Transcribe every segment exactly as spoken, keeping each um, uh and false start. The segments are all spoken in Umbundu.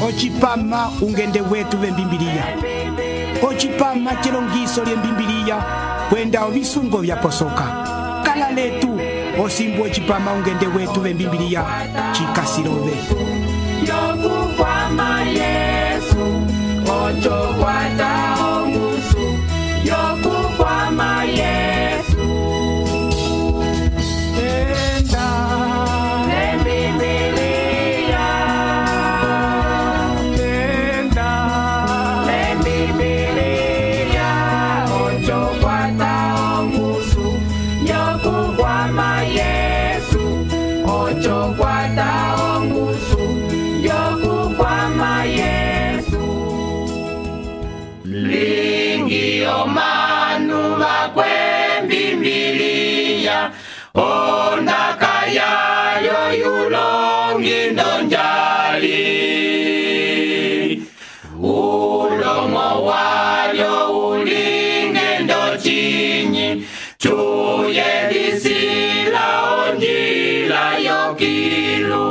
Ochipama ungende wetu vembimbilia. Ochipama chilongiso lye mbimbilia kwenda ovisungo vya posoka. Kala letu osimbu ochipama ungende wetu vembimbilia chikasirove. Yokukwama Yesu ocho kwata omusu. Yokukwama Yesu enda lembibilia enda lembibilia ocho kwata omusu. Yokukwama Yesu ocho kwata omusu. Yokukwama Yesu lingi omanu bakwembimbilia ondaka yayo yulongi ndonjali ulomo walyo ulinge ndochinyi chuye lisila onjila yokilu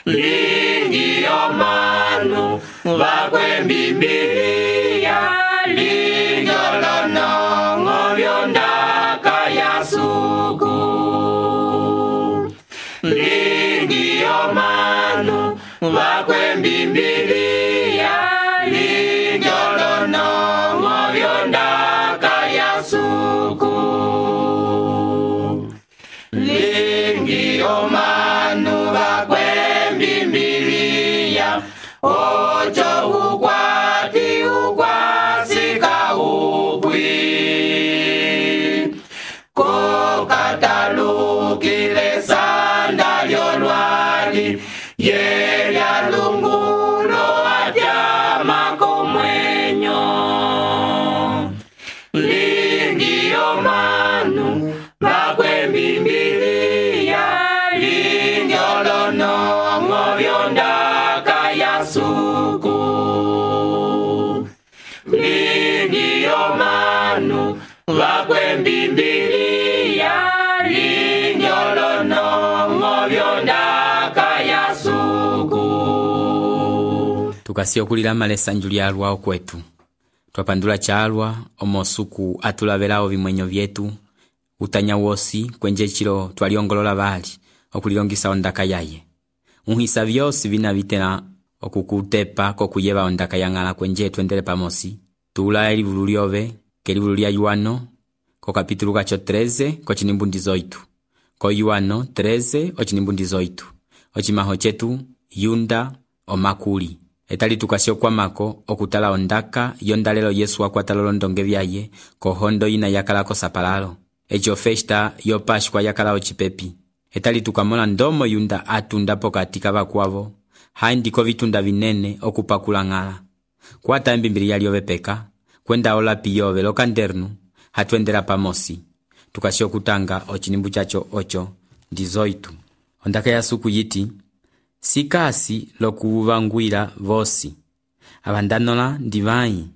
lingi omanu bakwembimbilia linyolonongo byondaka yasuku lingi omanu bakwembimbilia linyolonongo byondaka yasuku lingi omanu bakwembimbilia ocho ukwati ukwasika upwi kokatalukile sanda lyolwali yelya lungulo atyama komwenyo lingi omanu bakwembimbilia linyolonongo byondaka yasuku lingi omanu bakwembimbilia linyolonongo byondaka yasuku. Tukasio kulila malesa njuli alwa okwetu twapandula chalwa omosuku atulabelao vimwenyo vyetu utanya wosi kwenje chilo twaliongolola bali okulilongisa ondaka yaye unhisa vyosi vina vitena okukutepa kokuyeba ondaka yangala kwenje twendele pamosi tula elivulu lyove kelivulu lya Yuano ko kapitulu kacho treze ko chinimbu ndizoitu ko Yuano treze o chinimbu ndizoitu ochimaho chetu yunda omakuli etali tukasio kwa mako okutala ondaka yondalelo Yesu wakwatalolondonge vyaye ko hondo ina yakala ko sapalalo echo festa yo Pashkwa yakala ochipepi etali tukamona ndomo yunda atunda pokatika bakwavo haindiko vitunda vinene okupakula ngala kwata embimbilia lyove peka kwenda ola piyove lokandernu hatwendera pamosi tukasio kutanga ochinimbu chacho ocho ndizoitu ondaka ya suku yiti sikasi lokuvangwira vosi abandanola ndivai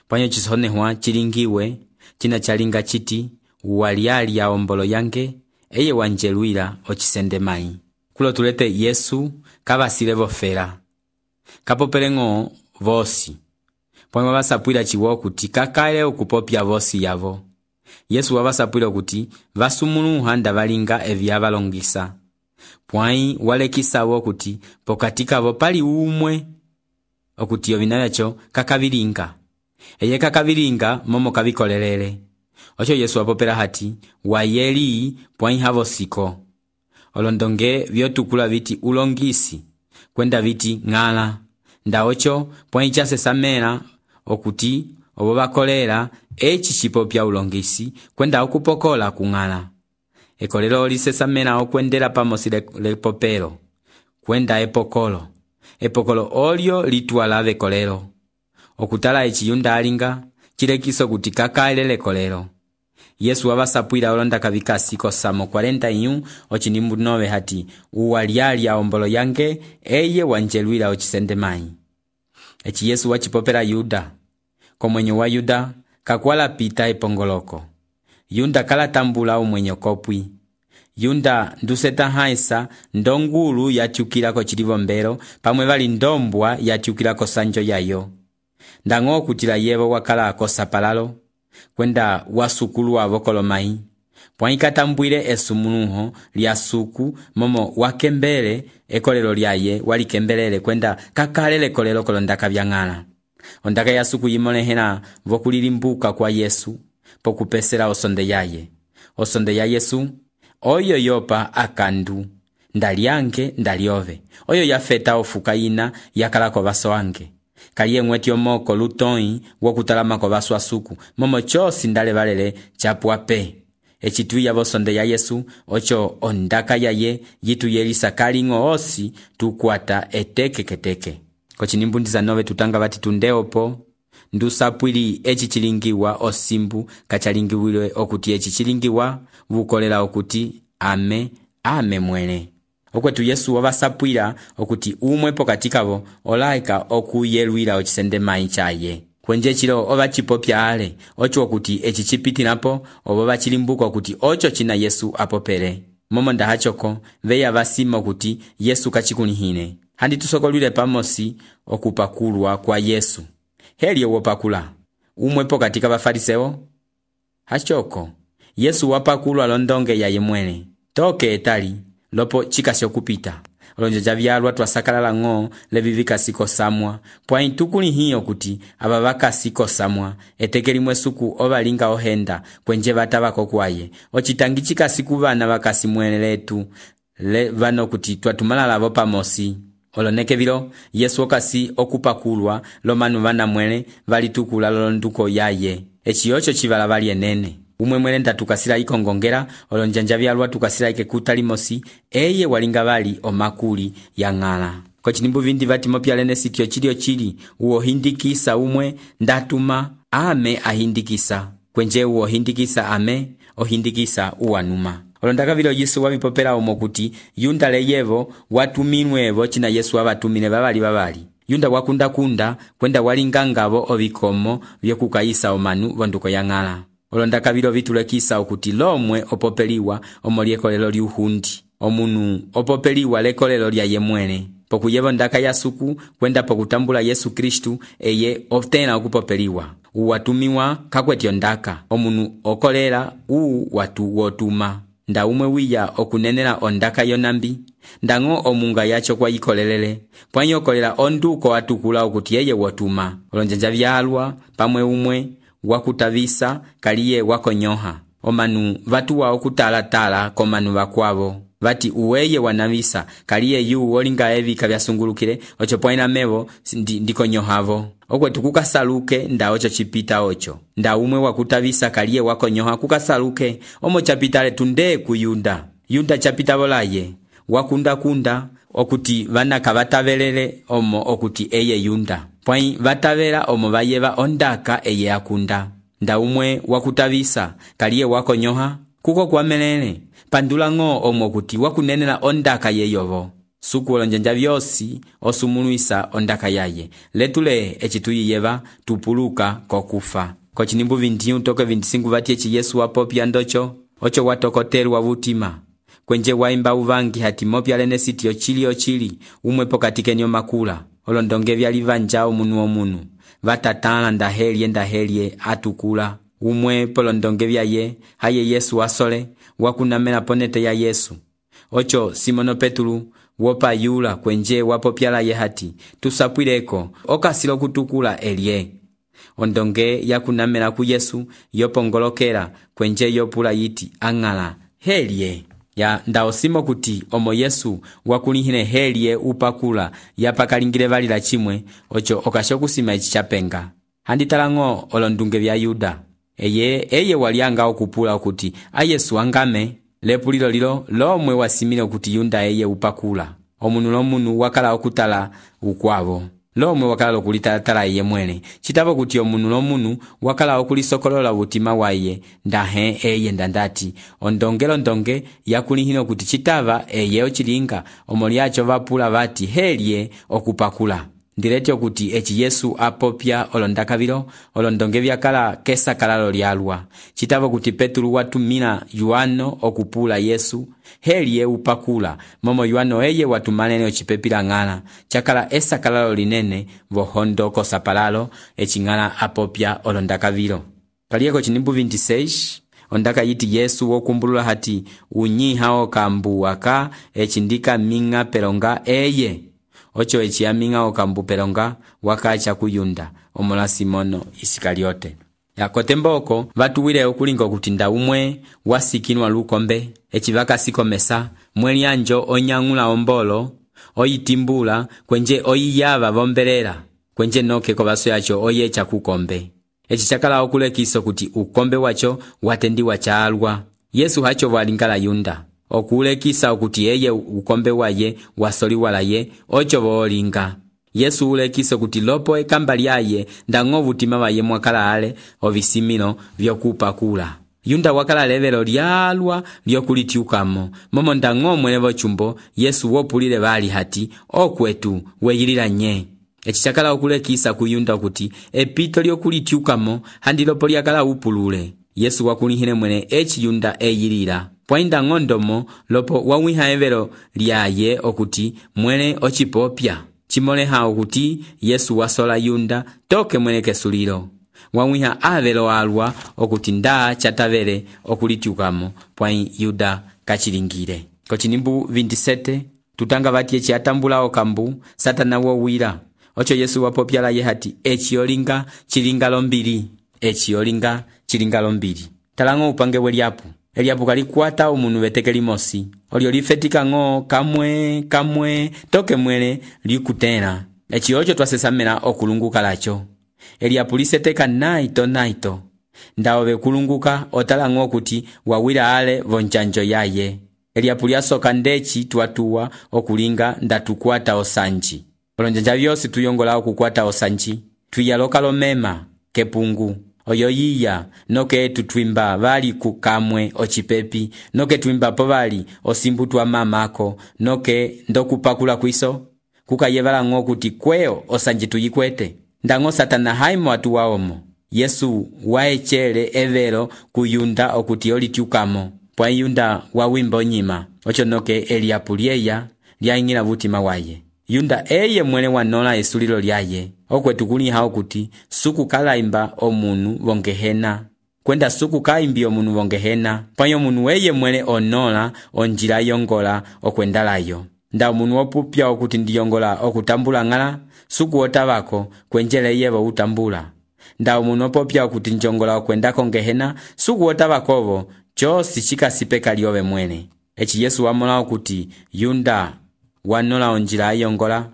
panyo chisonehwa chilingiwe china chalinga chiti waliali ya ombolo yange eye wanjeluira ochisendemai kulo tulete Yesu kabasile vofera kapopelengo vosi pwema basapwila chiwo kuti kakale okupopya vosi yavo Yesu wabasapwila kuti vasumuluha ndavalinga evyabalongisa pwai walekisabo kuti pokatika vo pali umwe okuti yovinayacho kakavilinga eye kakavilinga momo kavikolelele ocho Yesu wapopela hati wayeli pwai havo siko olondonge vyotukula viti ulongisi kwenda viti ngala nda ocho pwai chase samela okuti obo bakolera echi chipopya ulongisi kwenda okupokola kungala ekolelo lisesamela okwendela pamosi lepopelo kwenda epokolo epokolo olyo litwala vekolelo okutala echiyunda alinga chilekiso kuti kakaelele kolelo Yesu wabasapwila olonda kavikasi kosamo cuarenta y uno ochinimbu nove hati uwaliali ya ombolo yange eye wanjeluila ochisendemai echi Yesu wachipopela Yuda komwenyo wa Yuda kakwala pita epongoloko Yunda kala tambula umwenyo kopwi Yunda nduseta haisa ndongulu yatyukilako chilivombelo pamwe vali ndombwa yatyukilako sanjo yayo. Ndang'o okutila yevo wakala kosapalalo kwenda wasukulu wavo kolomai pwaikatambwile esumunuho lya suku momo wakembele ekolelo lyaye walikembelele kwenda kakalele kolelo kolondaka vyang'ala. Ondaka ya suku yimolehela vokulilimbuka kwa Yesu pokupesela osonde yaye. Osonde ya Yesu oyo yopa akandu ndalyange ndalyove oyo yafeta ofuka ina yakalako vaso wange kaliye mweti omoko lutoi wokutalama vaso asuku momo chosi ndale valele chapwape. Echituya vosonde ya Yesu ocho ondaka yaye yitu yelisa kaling'o osi tukwata eteke keteke. Kochinimbundiza nove tutanga vati tundeopo ndusapwili echi chilingiwa osimbu kachalingiwile okuti echi chilingiwa vukolela okuti ame ame mwele. Okwetu Yesu wavasapwila okuti umwe pokatikavo olaika okuyelwila ochisende mai chaye. Kwenje chilo ova chipopya ale ocho okuti echi chipitinapo obo vachilimbuka okuti ocho china Yesu apopele. Momo ndahachoko veya vasima okuti Yesu kachikunihine. Handi tusokolwile pamosi okupakulwa kwa Yesu. Heli wopakula umwe pokatika bafariseo hachoko Yesu wapakulwa londonge yaye mwene toke etali lopo chikasyo kupita olonjo javyalwa twasakalala ng'o levivika siko samwa pwa intukuli hiyo kuti ababaka siko samwa etekelimwe suku obalinga ohenda kwenje batabako kwaye ochitangi chikasiku bana bakasi mwene letu le vano kuti twatumalala vo pamosi. Oloneke vilo Yesu okasi okupakulwa lomanu vana mwele valitukula lolonduko yaye. Echi ocho chivala vali enene. Umwe mwele ndatukasila ikongongera olonjanja vyalwa tukasila ike kutalimosi eye walinga vali omakuli ya ng'ala. Kochinimbu vindi vati mopya lene sitio chilio chili uo hindikisa umwe ndatuma ame ahindikisa. Kwenje uo hindikisa ame ohindikisa uanuma. Olondaka vilo Yesu wabipopela omokuti yunda leyevo watuminwevo china Yesu wabatumine babali babali. Yunda wakunda kunda kwenda walingangavo ovikomo vyokukaisa omanu vonduko ya ng'ala. Olondaka vilo vitulekisa okuti lomwe opopeliwa omoliekolelo liuhundi. Omunu opopeliwa lekolelo lya yemwene. Pokuyevo ndaka ya suku kwenda pokutambula Yesu Kristu eye ofutena okupopeliwa. Uwatumiwa kakwetyo ndaka. Omunu okolela uu watu wotuma. Nda umwe wiya okunenela ondaka yonambi ndang'o omunga yacho kwa ikolelele pwanyo kolela onduko atukula okuti yeye wotuma. Olonjanja vyalwa pamwe umwe wakutavisa kaliye wakonyoha omanu vatuwa okutala tala komanu vakwavo vati uweye wanavisa kaliye yu olinga evi kavyasungulukile ocho pwaina mevo ndi, ndikonyohavo. Okwetu kukasaluke nda ocho chipita ocho. Nda umwe wakutavisa kaliye wakonyoha kukasaluke omo chapitale tunde kuyunda. Yunda chapita volaye wakunda kunda okuti vana kavatavelele omo okuti eye yunda. Pwai vatavela omo vayeva ondaka eye akunda. Nda umwe wakutavisa kaliye wakonyoha kuko kwamelele pandula ng'o omo okuti wakunenela ondaka yeyovo. Suku olonjanja vyosi osumuluisa ondaka yaye letule echituyiyeva tupuluka kokufa. Kochinimbu vinti utoke vintisingu vati echi Yesu wapopya ndocho ocho watokotelwa vutima kwenje waimba uvangi hati mopya lene sitio chili ochili umwe pokatike nyo makula olondonge vyalivanja omunu omunu vatatala ndahelye ndahelye atukula umwe polondonge vyaye haye Yesu wasole wakunamela ponete ya Yesu. Ocho Simono Petulu wopa yula kwenje wapopyala ye hati tusapwileko okasilo kutukula elye. Ondonge yakunamela ku Yesu yopongolokela kwenje yopula yiti ang'ala helye ya ndaosimo kuti omo Yesu wakulihine helye upakula yapakalingile valila chimwe ocho okashokusima ichi chapenga. Handitala ng'o olondunge vya Yuda eye eye walianga okupula okuti a Yesu angame lepulilo lilo lomwe wasimile okuti Yunda eye upakula. Omunu lomunu wakala okutala ukwavo lomwe wakala okulitalatala eye mwene chitavo kuti omunu lomunu wakala okulisokolola utima waye ndahe eye ndandati ondongelo ndonge yakulihine okuti chitava eye ochilinga omoliacho vapula vati helye okupakula. Ndiletyo kuti eci Yesu apopya olondakavilo olondonge vyakala kesakalalo lyalwa. Citavo kuti Petulu watumila Yohano okupula Yesu heliye upakula, momo Yohano eye watumalene ocipepila ng'ala cakala esakalalo linene vohondo kosapalalo eci ng'ala apopya olondakavilo. Kaliyeko cinimbu veintiseis ondaka yiti Yesu wokumbulula hati unyiha okambu aka eci ndika minga pelonga eye. Ocho eci aminga okambu pelonga wakacha kuyunda omola Simono Isikariote. Yakotembo oko vatuwile okulinga okutinda umwe wasikinwa lukombe eci vakasikomesa mweli anjo onyang'ula ombolo oyitimbula kwenje oyiyava vombelela kwenje noke kovaso yacho oyecha kukombe. Eci chakala okulekiso kuti ukombe wacho watendiwa chaalwa. Yesu hacho walingala yunda okulekisa okuti eye ukombe waye wasoliwalaye ocho volinga. Yesu ulekisa kuti lopo ekamba lyaye ndang'o vutima vaye mwakala ale ovisimino vyokupakula. Yunda wakala levelo lyalwa lyokulitiukamo momo ndang'o mwelevo chumbo Yesu wopulile vali hati okwetu weyilila nye. Eci chakala okulekisa kuyunda kuti epito lyokulitiukamo handi lopo lyakala upulule. Yesu wakulihile mwene eci yunda eyilila. Pwainda ng'ondomo lopo wawiha evelo lyaye okuti mwene ocipopya. Chimoleha okuti Yesu wasola yunda toke mwene kesulilo. Wawiha avelo alwa okuti nda chatavele okulitiukamo pwai yuda kachilingile. Kochinimbu veintisete tutanga vati eci atambula okambu Satana wowila. Ocho Yesu wapopyala ye hati eci yolinga chilingalo mbili. Eci yolinga chilingalo mbili. Talango upange weliapu. Eliapu kalikwata umunu vetekeli mosi. Olio lifetika ng'o kamwe kamwe toke mwele likutena. Eci ocho twasesamela okulunguka lacho. Eliapu liseteka naito naito. Ndaove kulunguka otalango kuti wawila ale vonchanjo yaye. Eliapu liasoka ndechi tuatua okulinga ndatukwata osanji. Olonjanja vyosi tuyongola okukwata osanji. Tuyaloka lomema kepungu. Oyo yiya noke tutwimba vali kukamwe ochipepi noke twimba po vali osimbutwa mamako noke ndokupakula kwiso kukayevala ng'o kuti kweo osanji tuyikwete. Ndang'o Satana haimo atuwaomo. Yesu waechele evelo kuyunda okuti olitiukamo pwa yunda wawimbo nyima. Ocho noke Eliapu lyeya lyaingila vutima waye. Yunda eye mwene wanola esulilo lyaye. Okwetu kuliha okuti suku kalaimba omunu vongehena. Kwenda suku kaimbi omunu vongehena. Panyo munu eye mwene onola onjila yongola okwendalayo. Nda omunu opupya okuti ndiyongola okutambula ngala suku otavako kwenjele yevo utambula. Nda omunu opupya okuti njongola okwenda kongehena suku otavakovo chosi chikasipeka lyobe mwene. Eci Yesu wamola okuti yunda wanola onjila yongola.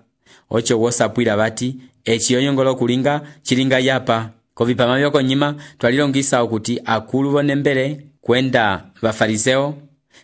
Ocho wosapwila bati eci yongola kulinga chilinga yapa. Kovipama vyoko nyima twalilongisa okuti akulu vonembele kwenda vafariseo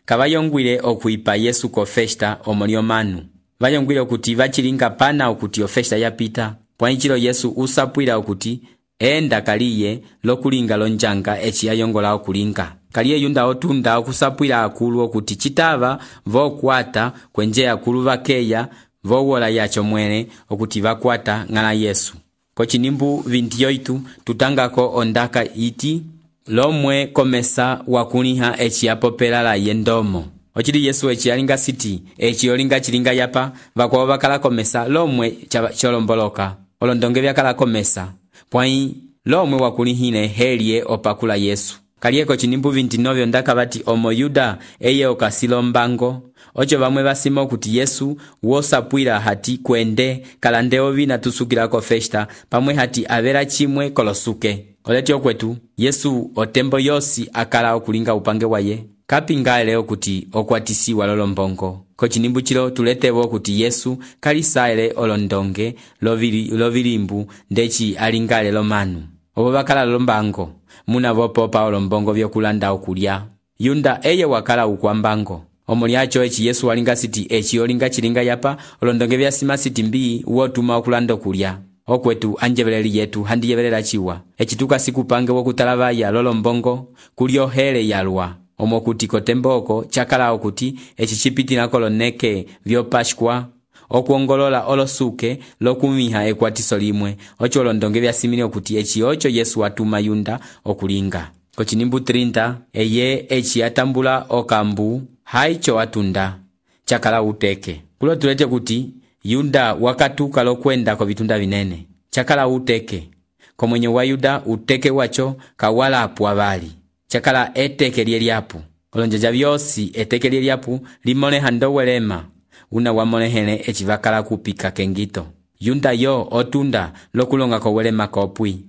kabayongwile okuipa Yesu ko festa omolio manu. Vayongwile okuti vachilinga pana okuti o festa yapita. Pwanchilo Yesu usapwila okuti enda kaliye lokulinga lonjanga eci yongola okulinga. Kaliye yunda otunda okusapwila akulu okuti chitava vokwata kwenje akulu vakeya vowola yacho mwene okuti vakwata ngala Yesu. Kochinimbu veintiyoitu tutangako ondaka iti lomwe komesa wakuliha eci yapopela la yendomo. Ochili Yesu eci yalinga siti eci yolinga chilinga yapa vakwa vakala komesa lomwe cholomboloka. Olondonge vyakala komesa pwai lomwe wakulihine helie opakula Yesu. Kalieko chinimbu veintinueve ondaka bati omo Yuda eye okasilo mbango. Ocho vamwe basimo kuti Yesu wosapwila hati kwende kalande ovina tusukila ko festa pamwe hati avera chimwe kolosuke. Oleti okwetu Yesu otembo yosi akala okulinga upange waye kapinga leo kuti okwatisiwa lolombongo. Kochinimbu chilo tuletewo kuti Yesu kalisaile olondonge lovili lovilimbu ndechi alingale lomanu. Obo bakala lombango muna vopopa olombongo vyokulanda okulya. Yunda eye wakala ukwambango. Omoliacho eci Yesu walinga siti eci yolinga chilinga yapa olondonge vyasima siti mbii wotuma okulanda okulya. Okwetu anjebeleli yetu handi yebelela chiwa. Eci tukasikupange wokutalavaya lolombongo kulyo hele yalwa. Omo kuti kotemboko chakala okuti eci chipiti na koloneke vyo Pashkwa okuongolola olosuke lokumiha ekwatiso limwe ocho olondonge vyasimile okuti eci ocho Yesu watuma Yunda okulinga. Kochinimbu trinta eye eci atambula okambu haicho watunda chakala uteke. Kulo tulete kuti Yunda wakatuka lokwenda ko vitunda vinene chakala uteke. Komwenye wa Yuda uteke wacho kawala apu avali chakala eteke lieliapu. Olonjaja vyosi eteke lieliapu limone hando welema una wamolehele echivakala kupika kengito. Yunda yo otunda lokulonga ko welema kopwi.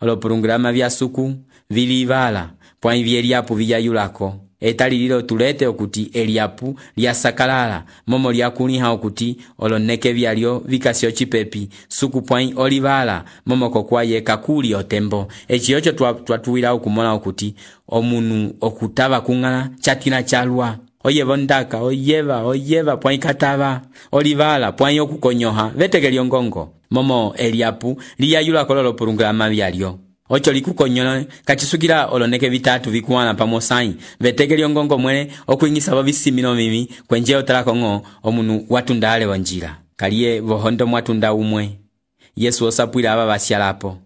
Olopurungulama vya suku vilivala pwani vyeliapu viyayulako. Etali lilo tulete okuti eliapu lya sakalala momo lya kuliha okuti oloneke vyalyo vikasyo chipepi suku pwani olivala momo kokwaye kakuli otembo. Echi yocho twatuwila okumona okuti omunu okutava kungana chatina chalwa. Oyeva ndaka, oyeva, oyeva pwani katava. Olivala pwani okukonyoha veteke lyongongo momo eliapu liyayula kololo purungulama vyalyo. Ocho likukonyola kachisukila oloneke vitatu vikuwana pamosai veteke lyongongo mwene okuingisa vavisimino mimi kwenje otalakongo omunu watundale wanjira. Kaliye vohondo mwatunda umwe. Yesu osapwila aba basyalapo.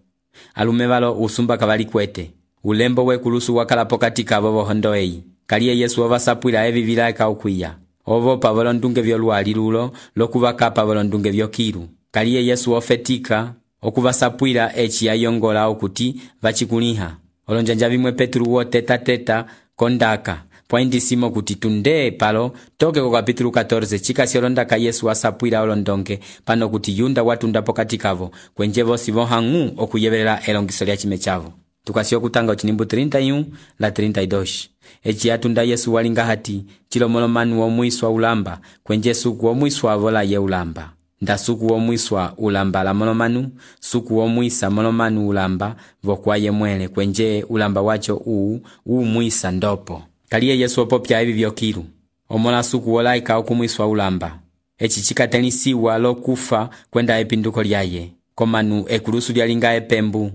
Alume balo usumba kabali kwete. Ulembo we kulusu wakalapo katika abo vohondo eyi. Kaliye Yesu ovasapwila evi vilaka ukwiya. Ovo pavolondunge vyoluali lulo lokuvaka pavolondunge vyokiru. Kaliye Yesu ofetika okuvasapwila echi yayongola okuti vachikuliha. Olonjanja vimwe Petru wote teta kondaka pwaindisimo kuti tunde palo toke ko kapitulu catorce chikasi olondaka Yesu asapwila olondonge pano kuti Yunda watunda pokati kavo kwenje vosi vohangu okuyebelela elongiso lya chime chavo. Tukasi okutanga ochinimbu trinta y uno la trinta y dos. Echi atunda Yesu walinga hati chilomolomanu omwiswa ulamba kwenje suku omwiswa avola ye ulamba. Nda suku omwiswa ulamba la molomanu, suku omwisa molomanu ulamba vokwaye mwele kwenje ulamba wacho uu uu mwisa ndopo. Kaliye Yesu opopya evi vyokiru. Omola suku olaika okumwiswa ulamba. Echi chikatenisiwa lokufa kwenda epinduko lyaye. Komanu ekulusu lyalinga epembu.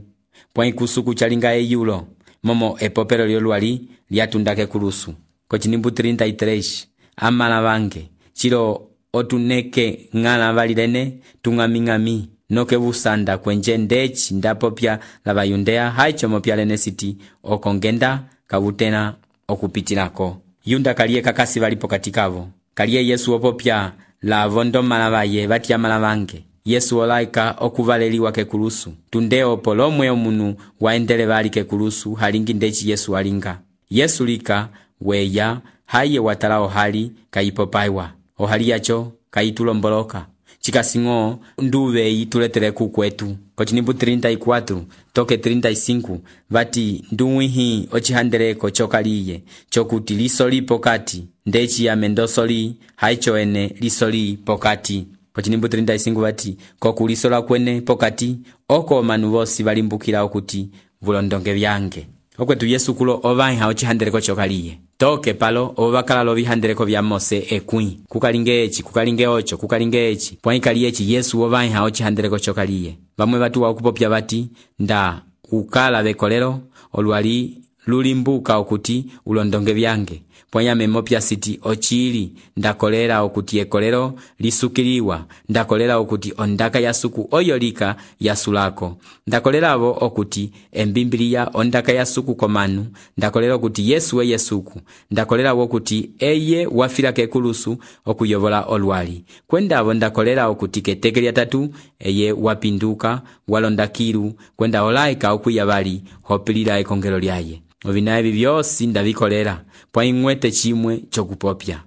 Pwani kusuku chalinga eyulo. Momo epopero lyoluali lyatundake kulusu. Kochinimbu trinta y tres. Amala bange. Chilo otuneke ngala valilene tungamingami noke busanda kwenje ndechi ndapopya la bayundea haicho mopya lene siti okongenda kabutena okupitilako. Yunda kaliye kakasi valipo katikavo. Kaliye Yesu opopya la vondo malabaye batia malabange. Yesu olaika okuvaleliwa ke kulusu. Tundeo polomwe omunu waendele vali ke kulusu halingi ndechi Yesu alinga. Yesu lika weya haye watalao hali kaipopaiwa. Ohali yacho kaitulomboloka. Chikasingo nduve ituletere kukwetu. Kochinimbu trinta y cuatro toke trinta y cinco vati nduwihi ochihandereko chokaliye chokuti lisoli pokati ndechi ya mendosoli haicho ene lisoli pokati. Kochinimbu trinta y cinco vati kokulisola kwene pokati oko manu vosi valimbukila okuti vulondonge vyange. Okwetu Yesu kulo ovaiha ochihandereko chokaliye. Toke palo ovakala lo vihandereko vya Mose ekwi. Kukalinge echi, kukalinge ocho, kukalinge echi. Pwanikali echi Yesu ovaiha ochihandereko chokaliye. Vamwe vatu wakupopya vati nda ukala vekolero oluali lulimbuka okuti ulondonge vyange. Pwanyame mopya siti ochili ndakolera okuti ekolero lisukiliwa. Ndakolera okuti ondaka ya suku oyolika ya sulako. Ndakolera avo okuti embimbilia ondaka ya suku komanu. Ndakolera okuti Yesu eye suku. Ndakolera avo okuti eye wafira kekulusu okuyovola oluali. Kwenda avo ndakolera okuti keteke lya tatu eye wapinduka walondakiru kwenda olaika okuyavali hopilira ekongelo lyaye. Ovina evi vyosi ndavikolera pwaingwete chimwe chokupopya.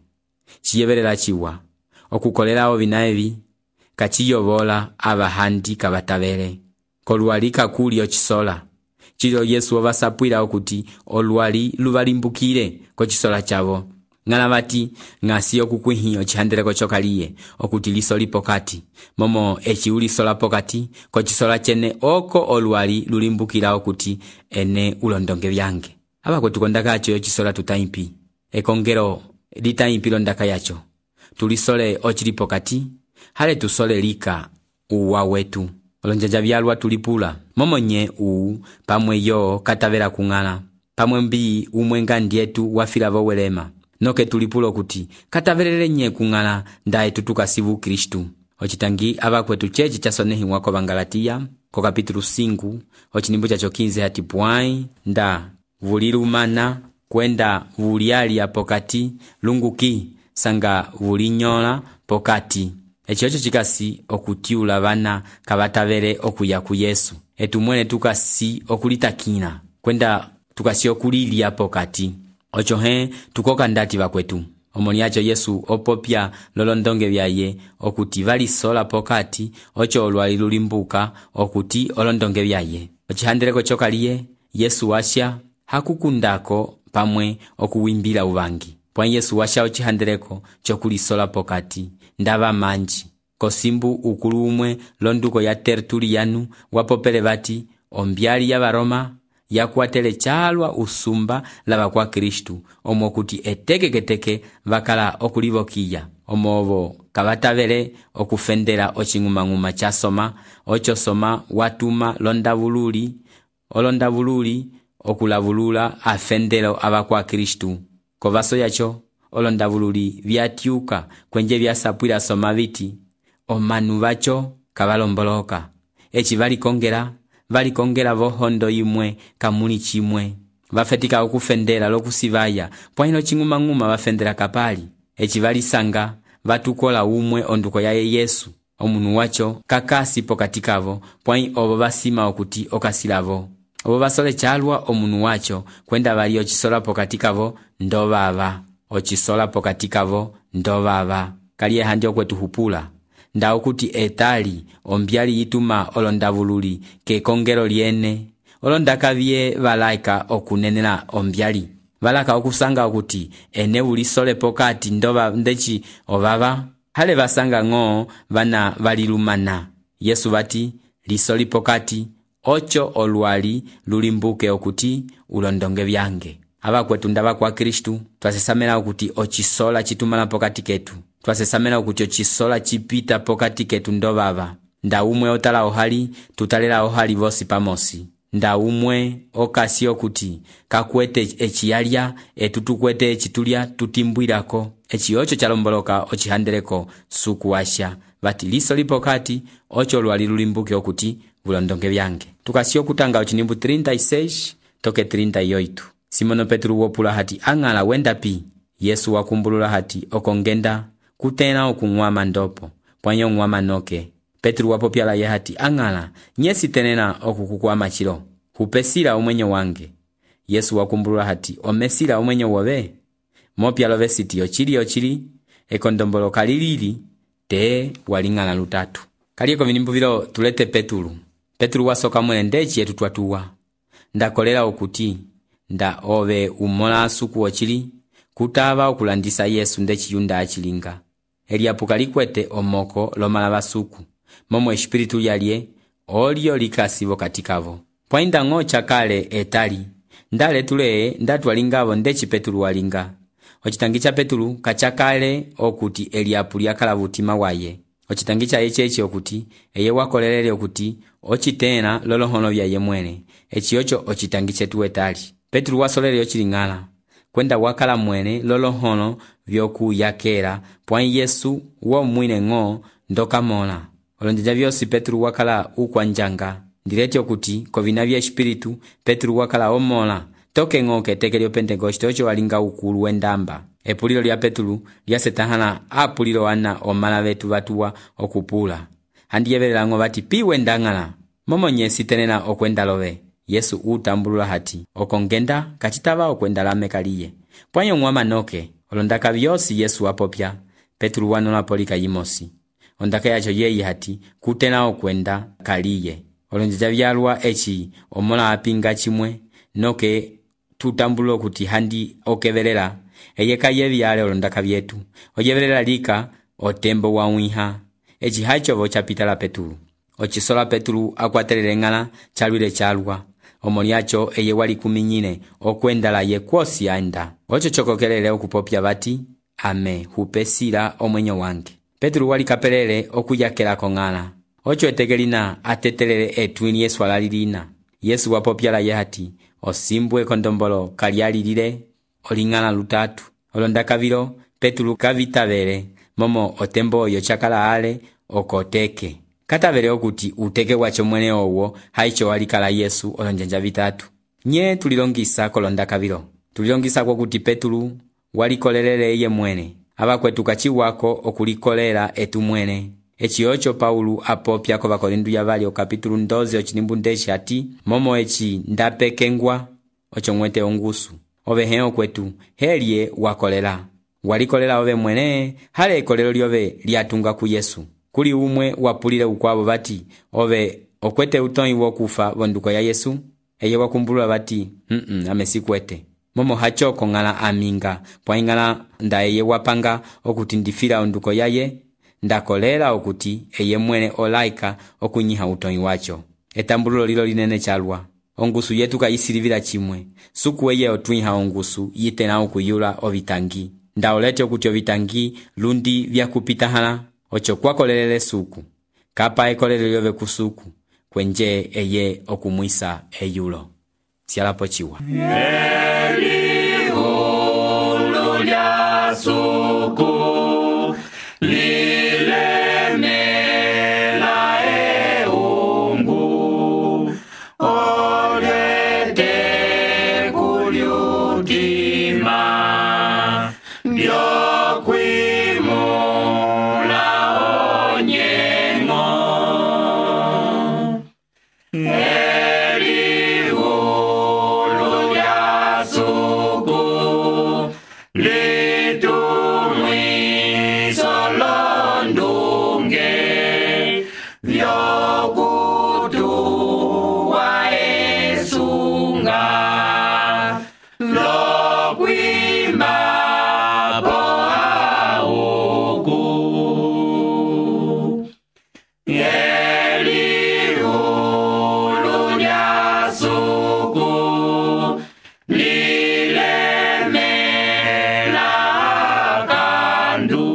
Chiyevelela chiwa. Okukolera ovina evi kachiyovola abahandi kabatavele. Koluali kakuli ochisola. Chilo Yesu ovasapwila okuti oluali luvalimbukire kochisola chavo. Ngana vati ngasi okukwihi ochihandereko chokaliye okuti lisoli pokati. Momo echi ulisola pokati kochisola chene oko oluali lulimbukira okuti ene ulondonge vyange. Aba kwetukondaka acho yochisola tutaimpi. Ekongero litaimpi londaka yacho. Tulisole ochili pokati. Hale tusole lika uwa wetu. Olonjaja vyalwa tulipula. Momo nye uu pamwe yo katavera kungala. Pamwe mbi umwenga ndietu wafila vowelema. noke tulipulo kuti katavelele nye kung'ala nda etu tukasivu Kristu. Ocitangi abakwetu chechi chasonehiwa ko Bangalatiya ko kapitulu cinco ocinimbu chacho quinze hati pwai nda vulilumana kwenda vulialia pokati lunguki sanga vulinyola pokati. Eci ocho cikasi okutiula vana kavatavele okuya ku Yesu. Etu mwene tukasi okulitakina kwenda tukasi okulilia pokati. Ocho he tukoka ndati vakwetu. Omoni acho Yesu opopya lolondonge vyaye okuti valisola pokati ocho olwali lulimbuka okuti olondonge vyaye. Ocihandeleko chokaliye Yesu washa hakukundako pamwe okuwimbila uvangi. Pwa Yesu washa ocihandeleko chokulisola pokati ndava manji. Kosimbu ukulu umwe londuko ya Tertulianu wapopele vati ombyali ya Varoma yakwatele chalwa usumba lava kwa Kristu omo kuti etekeketeke vakala okulivokiya omovo kavatavele okufendela oching'umang'uma cha soma ocho soma watuma londavululi olondavululi okulavulula afendelo ava kwa Kristu. Kovaso yacho olondavululi vyatiuka kwenje vyasapwila soma viti omanu vacho kavalomboloka eci valikongela valikongela vohondo imwe kamuli chimwe vafetika okufendela lokusivaya pwaino ching'umang'uma vafendela kapali eci valisanga vatukola umwe onduko yaye Yesu omunu wacho kakasi pokatikavo pwai ovo vasima okuti okasilavo ovo vasole chalwa omunu wacho kwenda vali ocisola pokatikavo ndovava ocisola pokatikavo ndovava kaliye handi okwetu hupula nda okuti etali ombyali yituma olondavululi kekongelo lyene olondakavye valaika okunenela ombyali valaka okusanga okuti ene ulisole pokati ndova ndeci ovava hale vasanga ng'o vana valilumana. Yesu vati lisoli pokati ocho olwali lulimbuke okuti ulondonge vyange. Abakwetu ndava kwa Kristu twasesamela okuti ocisola chitumala pokati ketu. Twasesamela okuti ocisola chipita pokati ketu ndovava. Nda umwe otala ohali tutalela ohali vosi pamosi. Nda umwe okasi okuti kakwete echiyalya etutukwete echitulya tutimbwirako. Echi ocho chalomboloka ocihandeleko suku washa vati liso lipokati ocho lwali lulimbuke okuti vulondonge vyange. Tukasi okutanga ochinimbu thirty e seis toke thirty e oito. Simono Petru wopula hati ang'ala wenda pi. Yesu wakumbulula hati okongenda kutena okung'wama ndopo pwanyo ng'wama noke. Petru wapopyala ye hati ang'ala nyesi tenena okukukwama chilo hupesila umwenyo wange. Yesu wakumbulula hati omesila umwenyo wobe mopyalo vesiti ochili ochili ekondombolo kalilili te walingana lutatu. Kalieko vinimbu vilo tulete Petru. Petru wasoka mwene ndechi yetu twatuwa. Ndakolela okuti nda ove umola asuku ochili kutava okulandisa Yesu ndechi yunda achilinga. Eliapuka likwete omoko lomala basuku. Momo espiritu yalye olio likasivo katikavo. Pwainda ng'o chakale etali. Ndale tule ndatwalingavo ndechi Petru walinga. Ochitangicha Petru kachakale okuti Eliapu lyakala vutima waye. Ochitangicha echechi okuti eye wakolelele okuti ochitena lolohono vyaye mwene. Echi ocho ochitangiche tuwe tali. Petru wasolele ochilingala. Kwenda wakala mwene lolohono vyoku yakera pwai Yesu wo mwine ng'o ndoka mola. Olondeja vyosi Petru wakala ukwanjanga. Ndireti okuti kovina vya espiritu Petru wakala omola. Toke ng'o keteke lyo Pentekoste ocho walinga ukulu wendamba. Epulilo lya Petru lyasetahana apulilo wana omala vetu vatuwa okupula. Handi yevelela ng'o vati pi wendangala. Momo nyesi tenena okwenda love. Yesu utambulula hati okongenda kachitava okwenda lame kaliye. Pwanyo ng'wama noke olondaka vyosi Yesu wapopya. Petru wanola polika yimosi. Ondaka yacho yeyi hati kutena okwenda kaliye. Olonjeja vyalwa echi omola apinga chimwe noke tutambulo kuti handi okevelela eyeka yevyale olondaka vyetu oyevelela lika otembo wa wiha echi hacho vocha pitala Petru. Ochisola Petru akwatelele ng'ala chalwile chalwa omoni yacho eye wali kuminyine okwendala ye kwosi anda. Ocho chokokelele okupopya vati ame hupesila omwenyo wange. Petru wali kapelele okuyakela kong'ala. Ocho etegelina atetelele etwini Yesu alalilina. Yesu wapopyala ye hati osimbwe kondombolo kalialilile oling'ala lutatu. olonda kavilo Petulu kavitavele momo otembo oyo chakala ale okoteke. Katavele okuti uteke wacho mwene owo haicho walikala Yesu olonjanja vitatu. Nye tulilongisa kolonda kavilo. Tulilongisa kwa kuti Petulu walikolelele eye mwene. Aba kwetu kachiwako okulikolera etu mwene. Echi ocho Paulu apopya ko Bakorindu ya vali o kapitulu ndoze ochinimbu ndeshi ati momo echi ndapekengwa ocho mwete ongusu. Ove heo kwetu helie wakolela. Walikolela ove mwene hale kolelo lyove liatunga ku Yesu. Kuli umwe wapulile ukwabo bati ove okwete utoi wokufa vonduko ya Yesu. Eye wakumbulula bati mm -mm, amesikwete. Momo hachoko ngala aminga pwa ingala nda eye wapanga okuti ndifira onduko yaye ndakolela okuti eye mwene olaika okunyiha utoi wacho. Etambululo lilo linene chalwa. Ongusu yetu kayisilivila chimwe. Suku eye otwiha ongusu yitena okuyula ovitangi. Nda olete okuti ovitangi lundi vya kupita hala ocho kwakolelele suku. Kapa ekolele lyove kusuku kwenje eye okumwisa eyulo. Sialapo chiwa. Eli ulu lya suku lilemela eungu olete kulyutima byokwimula onyengo. Eli ulu lya suku litumwiso londunge vyokutuwa esunga lokwima poa uku. Eli ulu lya suku lilemela kandu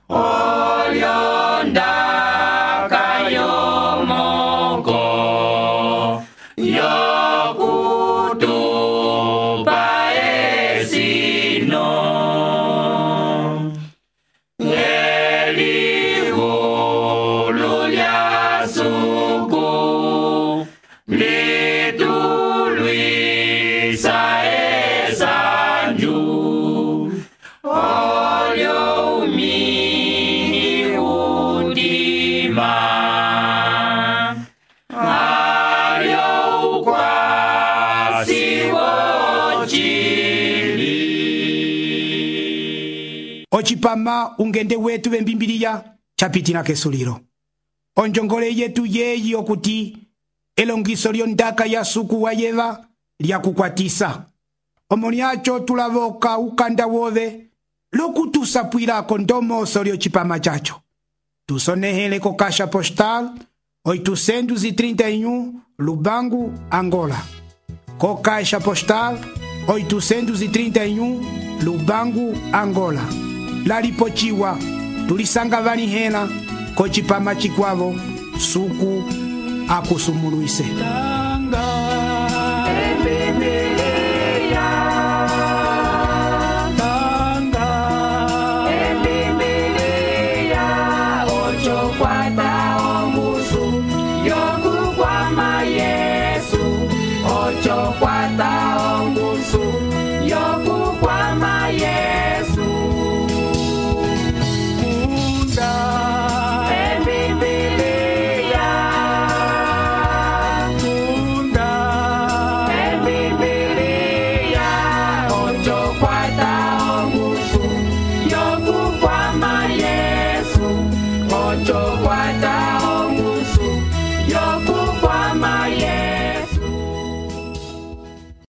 olyonda kayomoko yokutupa esino. Eli ulu lya suku litulwisa esanju olyo umini undima alyo ukwasi wochili. Ochipama ungende wetu bembimbiliya chapitila kesulilo. Onjongole yetu yeyi okuti elongiso lyondaka ya suku wa yeva lya kukwatisa. Omolyacho tulavoka ukanda wove lokutusapwilako ndomoso lyochipama chacho. Tusonehele ko kasha postal oitocentos e trinta e um Lubango, Angola. Ko kasha postal oitocentos e trinta e um Lubango, Angola. Lalipochiwa tulisanga vani hena ko chipama chikwavo suku akusumuluise.